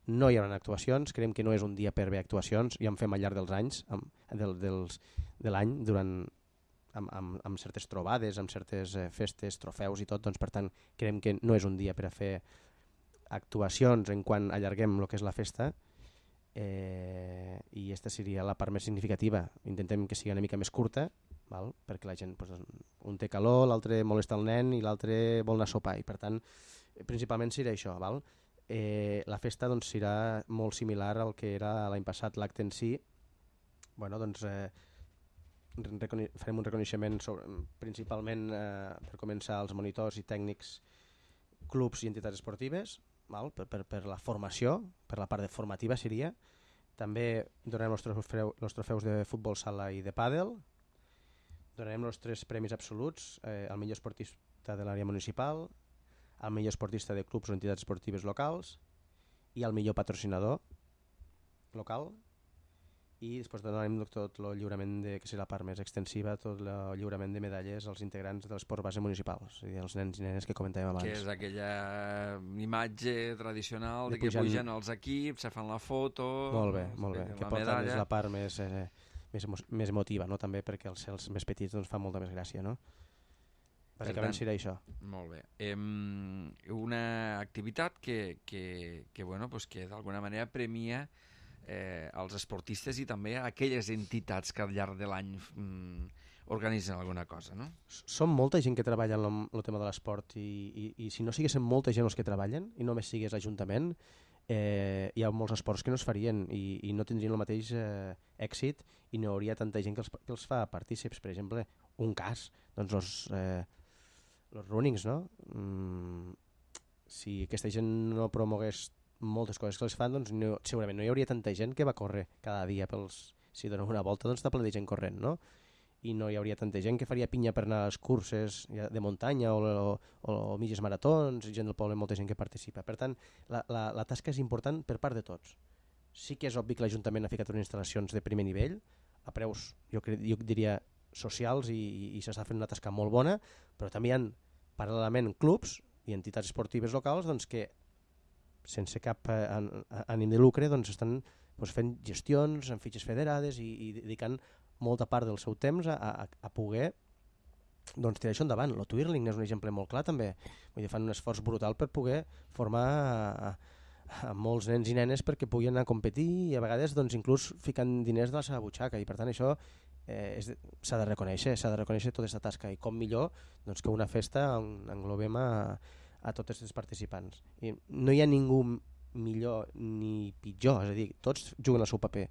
D: no hi haurà actuacions, creiem que no és un dia per haver actuacions, ja en fem al llarg dels anys, amb, del, dels, de l'any, durant amb, amb, amb certes trobades, amb certes eh, festes, trofeus i tot, doncs per tant creiem que no és un dia per a fer actuacions en quan allarguem el que és la festa, eh, i aquesta seria la part més significativa. Intentem que sigui una mica més curta, val? Perquè la gent, doncs, un té calor, l'altre molesta el nen i l'altre vol anar a sopar, i per tant principalment serà això. Val? Eh, la festa doncs, serà molt similar al que era l'any passat l'acte en si. Bueno, doncs eh, farem un reconeixement sobre, principalment eh, per començar als monitors i tècnics, clubs i entitats esportives, val? Per, per, per la formació, per la part de formativa seria. També donarem els trofeus, els trofeus de futbol sala i de pàdel. Donarem els tres premis absoluts, eh, al millor esportista de l'àrea municipal, al millor esportista de clubs o entitats esportives locals i al millor patrocinador local. I després donarem tot el lliurament, de, que serà la part més extensiva, tot el lliurament de medalles als integrants de l'esport base municipal, és a dir, els nens i nenes que comentàvem abans.
A: Que és aquella imatge tradicional de, de que
D: pujan...
A: pugen els equips, se fan la foto...
D: Molt bé, molt bé, que porten
A: medalla.
D: És la part més, eh, més, emo més emotiva, no? També perquè els, els més petits doncs, fan molta més gràcia, no? Bàsicament serà això.
A: Molt bé. Eh, una activitat que, que, que, bueno, pues que d'alguna manera premia eh, els esportistes i també aquelles entitats que al llarg de l'any mm, organitzen alguna cosa, no?
D: Som molta gent que treballa en el tema de l'esport, i, i, i si no siguessin molta gent els que treballen i només sigués l'Ajuntament, eh, hi ha molts esports que no es farien i, i no tindrien el mateix eh, èxit, i no hi hauria tanta gent que els, que els fa partícips. Per exemple, un cas, doncs els... Eh, els runnings, no? Mm, si aquesta gent no promogués moltes coses que els fan, doncs no, segurament no hi hauria tanta gent que va córrer cada dia pels... Si donen una volta, doncs està ple de gent corrent, no? I no hi hauria tanta gent que faria pinya per anar a les curses de muntanya o, o, o mitges maratons, gent del poble, molta gent que participa. Per tant, la, la, la tasca és important per part de tots. Sí que és obvi que l'Ajuntament ha ficat unes instal·lacions de primer nivell, a preus, jo, jo diria, socials, i, i s'està fent una tasca molt bona, però també hi ha paral·lelament clubs i entitats esportives locals doncs, que sense cap eh, an- ànim de lucre, doncs estan doncs, fent gestions en fitxes federades i, i dedicant molta part del seu temps a, a, a poder doncs, tirar això endavant. El Twirling és un exemple molt clar també. Vull dir, fan un esforç brutal per poder formar a, a molts nens i nenes perquè puguin anar a competir i a vegades doncs, inclús ficant diners de la seva butxaca, i per tant això eh, s'ha de reconèixer, s'ha de reconèixer tota aquesta tasca, i com millor doncs, que una festa on englobem a, a tots els participants. I no hi ha ningú millor ni pitjor, és a dir, tots juguen el seu paper,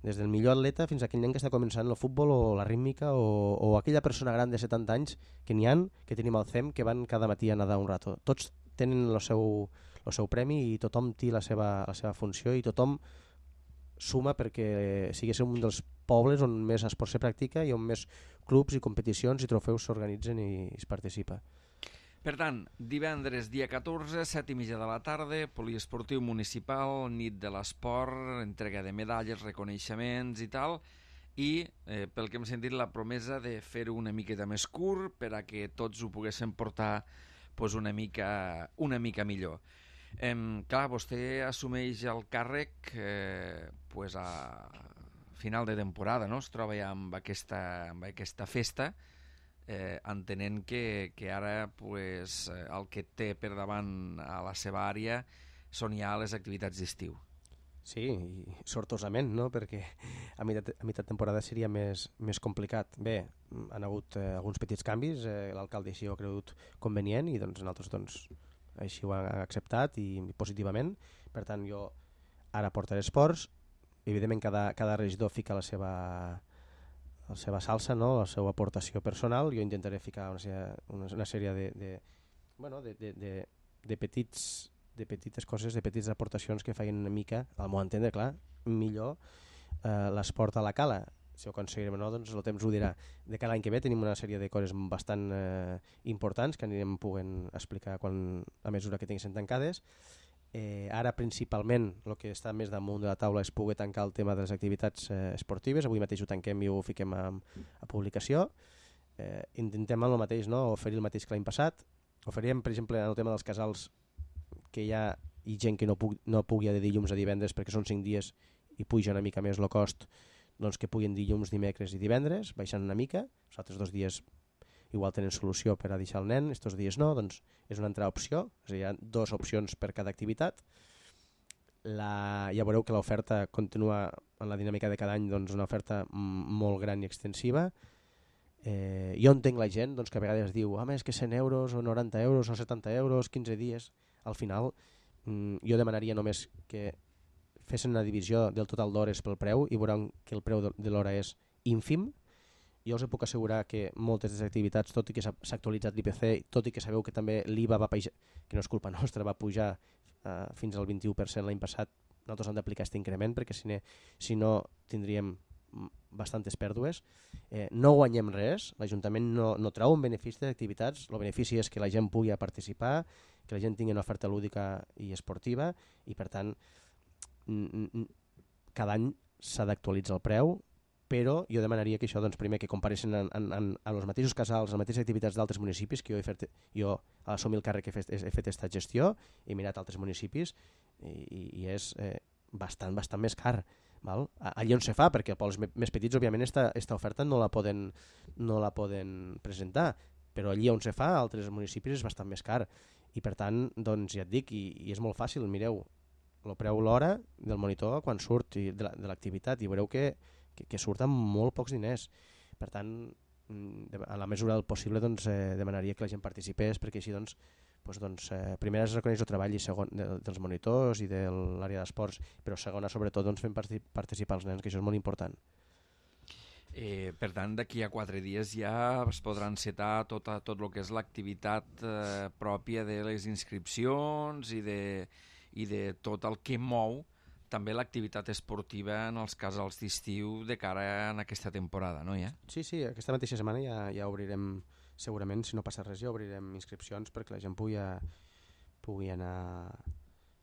D: des del millor atleta fins a aquell nen que està començant el futbol o la rítmica o, o aquella persona gran de setanta anys que n'hi han, que tenim al C E M, que van cada matí a nedar un rato. Tots tenen el seu, el seu premi i tothom té la seva, la seva funció i tothom suma perquè siguéssim un dels pobles on més esport se practica i on més clubs i competicions i trofeus s'organitzen i es participa.
A: Per tant, divendres dia catorze, set i mitja de la tarda, poliesportiu municipal, nit de l'esport, entrega de medalles, reconeixements i tal, i eh, pel que hem sentit la promesa de fer-ho una miqueta més curt per a que tots ho poguéssim portar pues, una, mica, una mica millor. Eh, clar, vostè assumeix el càrrec eh, pues a final de temporada, no? Es troba ja amb aquesta, amb aquesta festa, eh, entenent que, que ara pues, el que té per davant a la seva àrea són ja les activitats d'estiu.
D: Sí, i sortosament, no? Perquè a meitat, a meitat temporada seria més, més complicat. Bé, han hagut eh, alguns petits canvis, eh, l'alcalde així ho ha cregut convenient i doncs, nosaltres doncs, així ho han acceptat i positivament. Per tant, jo ara portaré esports. Evidentment, cada, cada regidor fica la seva, la seva salsa, no? La seva aportació personal. Jo intentaré ficar una, una, una sèrie de, de, bueno, de, de, de, de, petits, de petites coses, de petites aportacions que facin una mica, al meu entendre, clar, millor eh, l'esport a la cala. Si ho aconseguirem o no, doncs el temps ho dirà. De cada any que ve tenim una sèrie de coses bastant eh, importants que anirem podent explicar quan, a mesura que tinguin tancades. Eh, ara principalment el que està més damunt de la taula és poder tancar el tema de les activitats eh, esportives. Avui mateix ho tanquem i ho fiquem a, a publicació. Eh, intentem el mateix, no? Oferir el mateix que l'any passat. Oferíem, per exemple, en el tema dels casals, que hi ha i gent que no, pu no pugui de dilluns a divendres perquè són cinc dies i puja una mica més el cost, doncs que puguin dilluns, dimecres i divendres, baixant una mica. Els altres dos dies igual tenen solució per a deixar el nen, estos dies no, doncs és una altra opció, és a dir, hi ha dues opcions per cada activitat. La, ja veureu que l'oferta continua en la dinàmica de cada any, doncs una oferta molt gran i extensiva. Eh, jo entenc la gent doncs, que a vegades diu ah, és que cent euros o noranta euros o setanta euros, quinze dies. Al final mm, jo demanaria només que fessin una divisió del total d'hores pel preu i veuran que el preu de l'hora és ínfim. Jo us puc assegurar que moltes de les activitats, tot i que s'ha actualitzat l'I P C, tot i que sabeu que també l'I V A va pujar, que no és culpa nostra, va pujar eh, fins al vint-i-u per cent l'any passat, nosaltres hem d'aplicar aquest increment perquè si, ne, si no tindríem bastantes pèrdues. Eh, no guanyem res, l'Ajuntament no, no treu un benefici d'activitats, el benefici és que la gent pugui participar, que la gent tingui una oferta lúdica i esportiva i per tant cada any s'ha d'actualitzar el preu, però jo demanaria que això, doncs, primer, que comparessin en, en, en, en els mateixos casals, en les mateixes activitats d'altres municipis, que jo he fet, jo a l'assumir el càrrec he fet, he fet aquesta gestió, he mirat altres municipis i, i és eh, bastant, bastant més car. Val? Allí on se fa, perquè els pobles més petits, òbviament, aquesta oferta no la, poden, no la poden presentar, però allí on se fa, a altres municipis, és bastant més car. I per tant, doncs, ja et dic, i, i és molt fàcil, mireu, el preu l'hora del monitor quan surt i de l'activitat i veureu que Que, que surt amb molt pocs diners. Per tant, a la mesura del possible doncs, eh, demanaria que la gent participés perquè així doncs, doncs, doncs, eh, primera es reconeix el treball i segon, de, dels monitors i de l'àrea d'esports, però segona sobretot doncs, fent participar els nens, que això és molt important.
A: Eh, per tant, d'aquí a quatre dies ja es podrà encetar tota, tot el que és l'activitat eh, pròpia de les inscripcions i de, i de tot el que mou també l'activitat esportiva en els casals d'estiu de cara a aquesta temporada, no? Ja?
D: Sí, sí, aquesta mateixa setmana ja, ja obrirem, segurament, si no passa res, ja obrirem inscripcions perquè la gent pugui, a, pugui anar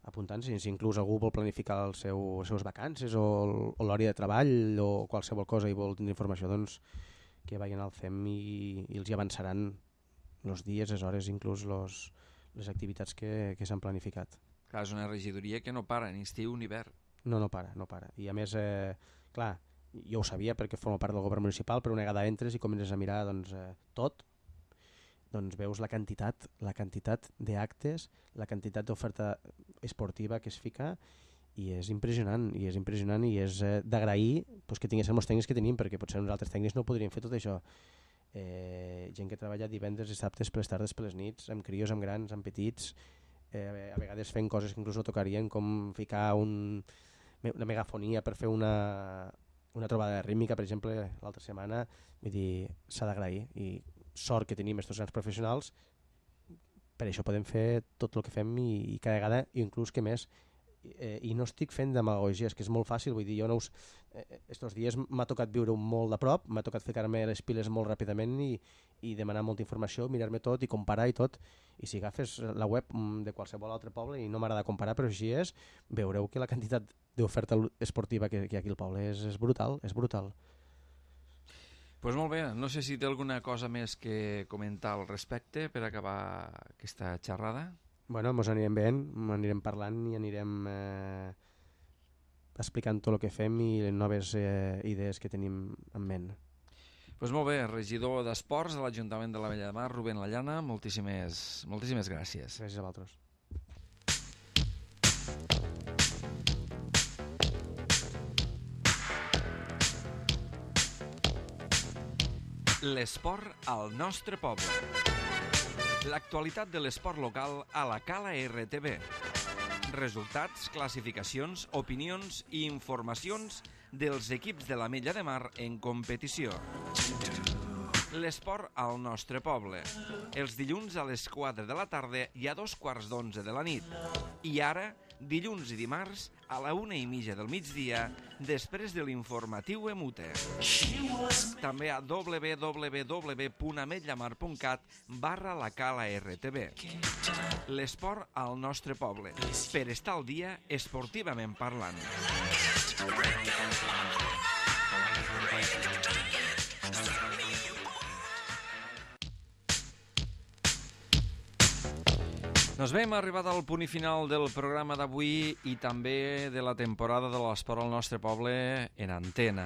D: apuntant-se. Si inclús algú vol planificar el seu, les seves vacances o, o l'hora de treball o qualsevol cosa i vol tenir informació, doncs que vagin al C E M i, i els hi avançaran els dies, les hores, inclús los, les activitats que, que s'han planificat.
A: Clar, és una regidoria que no para, ni estiu ni hivern.
D: No, no para, no para. I a més, eh, clar, jo ho sabia perquè formo part del govern municipal, però una vegada entres i comences a mirar doncs, eh, tot, doncs veus la quantitat, la quantitat d'actes, la quantitat d'oferta esportiva que es fica, i és impressionant, i és impressionant i és eh, d'agrair pues, que tinguéssim els tècnics que tenim, perquè potser nosaltres tècnics no podríem fer tot això. Eh, gent que treballa divendres i dissabtes per les tardes, per les nits, amb crios, amb grans, amb petits, eh, a vegades fent coses que inclús no tocarien, com ficar un, una megafonia per fer una, una trobada rítmica, per exemple, l'altra setmana. Vull dir, s'ha d'agrair, i sort que tenim aquests grans professionals, per això podem fer tot el que fem i, i cada vegada, i inclús que més, eh, i no estic fent demagogia, és que és molt fàcil, vull dir, jo no us, eh, estos dies m'ha tocat viure molt de prop, m'ha tocat ficar-me les piles molt ràpidament i, i demanar molta informació, mirar-me tot i comparar i tot, i si agafes la web de qualsevol altre poble, i no m'agrada comparar, però així és, veureu que la quantitat d'oferta esportiva que, que hi ha aquí al poble és, és brutal, és brutal.
A: Doncs pues molt bé, no sé si té alguna cosa més que comentar al respecte per acabar aquesta xerrada.
D: Bueno, ens anirem veient, anirem parlant i anirem eh, explicant tot el que fem i les noves eh, idees que tenim en ment.
A: Doncs pues molt bé, regidor d'Esports de l'Ajuntament de l'Ametlla de Mar, Rubén Lallana, moltíssimes, moltíssimes gràcies.
D: Gràcies a vosaltres.
A: L'esport al nostre poble. L'actualitat de l'esport local a la Cala R T V. Resultats, classificacions, opinions i informacions dels equips de l'Ametlla de Mar en competició. L'esport al nostre poble. Els dilluns a les quatre de la tarda i a dos quarts d'onze de la nit. I ara, dilluns i dimarts, a la una i mitja del migdia, després de l'informatiu Emute. També a w w w punt ametllamar punt cat barra la Cala R T V. L'esport al nostre poble, per estar al dia esportivament parlant. Doncs bé, hem arribat al punt i final del programa d'avui i també de la temporada de l'esport al nostre poble en antena.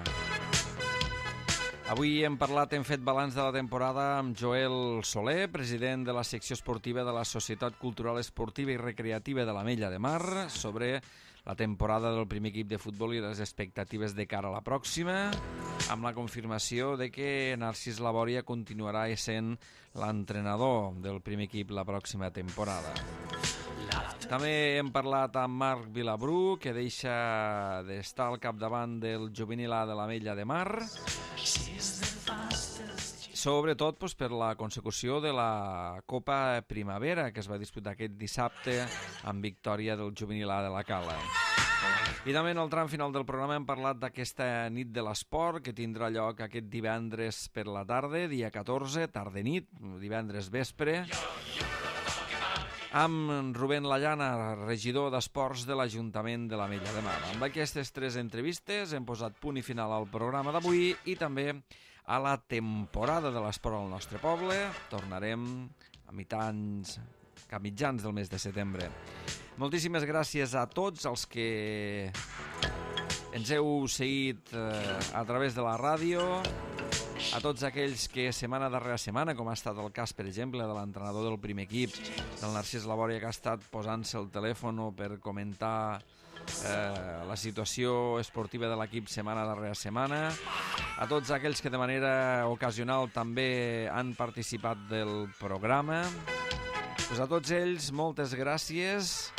A: Avui hem parlat, hem fet balanç de la temporada amb Joel Soler, president de la secció esportiva de la Societat Cultural Esportiva i Recreativa de l'Ametlla de Mar, sobre la temporada del primer equip de futbol i les expectatives de cara a la pròxima, amb la confirmació de que Narcís Labòria continuarà essent l'entrenador del primer equip la pròxima temporada. També hem parlat amb Marc Vilabru, que deixa d'estar al capdavant del juvenil A de l'Ametlla de Mar, sobretot doncs, per la consecució de la Copa Primavera, que es va disputar aquest dissabte amb victòria del juvenil A de la Cala. I també en el tram final del programa hem parlat d'aquesta nit de l'esport que tindrà lloc aquest divendres per la tarda, dia catorze, tarda-nit, divendres vespre, amb Rubén Lallana, regidor d'Esports de l'Ajuntament de l'Ametlla de Mar. Amb aquestes tres entrevistes hem posat punt i final al programa d'avui i també a la temporada de l'esport al nostre poble. Tornarem a mitjans, a mitjans del mes de setembre. Moltíssimes gràcies a tots els que ens heu seguit eh, a través de la ràdio, a tots aquells que setmana darrere setmana, com ha estat el cas, per exemple, de l'entrenador del primer equip, del Narcís Labòria, que ha estat posant-se el telèfon per comentar eh, la situació esportiva de l'equip setmana darrere setmana, a tots aquells que de manera ocasional també han participat del programa. Pues a tots ells, moltes gràcies,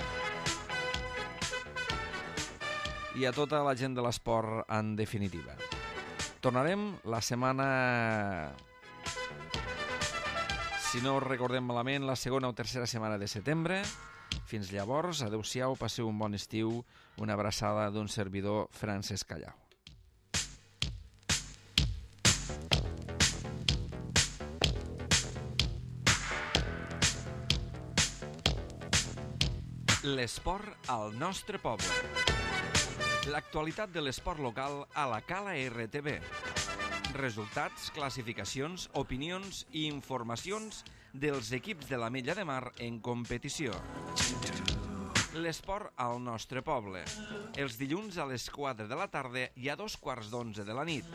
A: i a tota la gent de l'esport en definitiva. Tornarem la setmana, si no recordem malament, la segona o tercera setmana de setembre. Fins llavors, adeu-siau, passeu un bon estiu, una abraçada d'un servidor, Francesc Callau. L'esport al nostre poble. L'actualitat de l'esport local a la Cala R T V. Resultats, classificacions, opinions i informacions dels equips de l'Ametlla de Mar en competició. l'esport al nostre poble. Els dilluns a les quatre de la tarda i a dos quarts d'onze de la nit.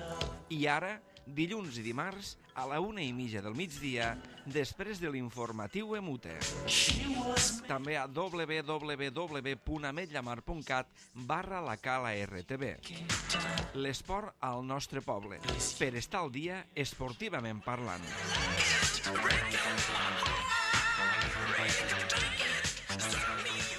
A: I ara, dilluns i dimarts, a la una i mitja del migdia, després de l'informatiu Emute. També a w w w punt ametllamar punt cat barra la cala R T B. L'esport al nostre poble, per estar al dia esportivament parlant.
E: Start me